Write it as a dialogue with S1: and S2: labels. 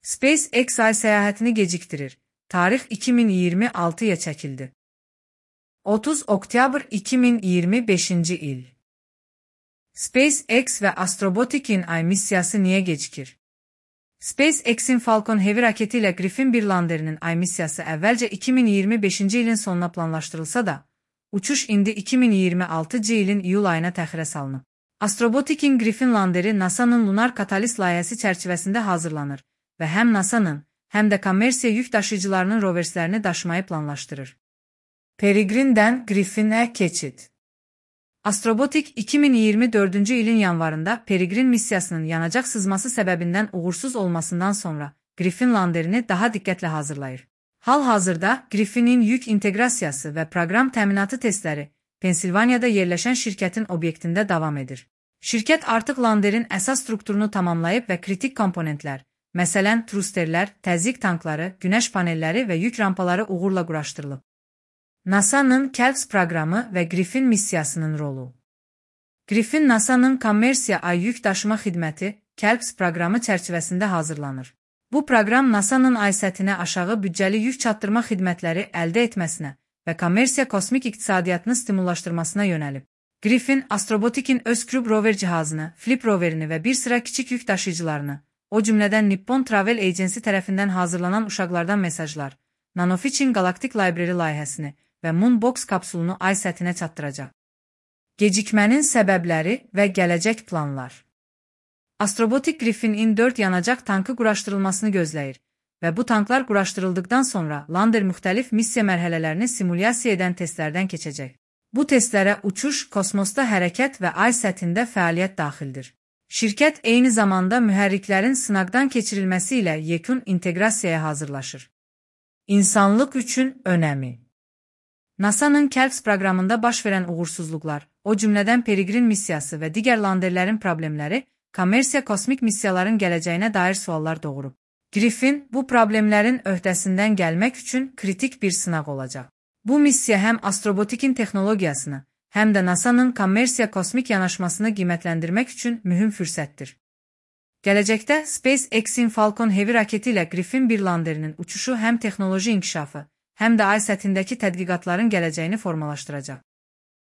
S1: SpaceX ay səyahətini gecikdirir. Tarix 2026-ya çəkildi. 30 oktyabr 2025-ci il. SpaceX və Astrobotic-in ay missiyası niyə gecikir? SpaceX-in Falcon Heavy raketi ilə Griffin 1 landerinin ay missiyası əvvəlcə 2025-ci ilin sonuna planlaşdırılsa da, uçuş indi 2026-cı ilin iyul ayına təxirə salınıb. Astrobotic-in Griffin landeri NASA-nın Lunar Catalyst layihəsi çərçivəsində hazırlanır və həm NASA-nın, həm də kommersiya yük daşıyıcılarının roverslərini daşımayı planlaşdırır. Peregrine'dən Griffin'ə keçid. Astrobotic 2024-cü ilin yanvarında Peregrine missiyasının yanacaq sızması səbəbindən uğursuz olmasından sonra Griffin landerini daha diqqətlə hazırlayır. Hal-hazırda Griffin'in yük inteqrasiyası və proqram təminatı testləri Pensilvaniyada yerləşən şirkətin obyektində davam edir. Şirkət artıq landerin əsas strukturunu tamamlayıb və kritik komponentlər, məsələn trusterlər, təzyiq tankları, günəş panelləri və yük rampaları uğurla quraşdırılıb. NASA-nın KELPS proqramı və Griffin missiyasının rolu. Griffin NASA-nın kommersiya ay yük daşıma xidməti KELPS proqramı çərçivəsində hazırlanır. Bu proqram NASA-nın ay səthinə aşağı büdcəli yük çatdırma xidmətləri əldə etməsinə və kommersiya kosmik iqtisadiyyatını stimullaşdırmasına yönəlib. Griffin, Astrobotic-in öz Crew rover cihazını, Flip roverini və bir sıra kiçik yük daşıyıcılarını, o cümlədən Nippon Travel Agency tərəfindən hazırlanan uşaqlardan mesajlar, Nanofitch-in Galactic Library layihəsini və Moonbox kapsulunu ay səthinə çatdıracaq. Gecikmənin səbəbləri və gələcək planlar. Astrobotic Griffin'in 4 yanacaq tankı quraşdırılmasını gözləyir və bu tanklar quraşdırıldıqdan sonra lander müxtəlif missiya mərhələlərini simulyasiya edən testlərdən keçəcək. Bu testlərə uçuş, kosmosda hərəkət və ay səthində fəaliyyət daxildir. Şirkət eyni zamanda mühərriklərin sınaqdan keçirilməsi ilə yekun inteqrasiyaya hazırlaşır. İnsanlıq üçün önəmi. NASA-nın KELPS proqramında baş verən uğursuzluqlar, o cümlədən Peregrine missiyası və digər landerlərin problemləri, kommersiya kosmik missiyaların gələcəyinə dair suallar doğurub. Griffin, bu problemlərin öhdəsindən gəlmək üçün kritik bir sınaq olacaq. Bu missiya həm Astrobotic-in texnologiyasını, həm də NASA-nın kommersiya kosmik yanaşmasını qiymətləndirmək üçün mühüm fürsətdir. Gələcəkdə SpaceX-in Falcon Heavy raketi ilə Griffin 1 landerinin uçuşu həm texnoloji inkişafı, həm də ay səthindəki tədqiqatların gələcəyini formalaşdıracaq.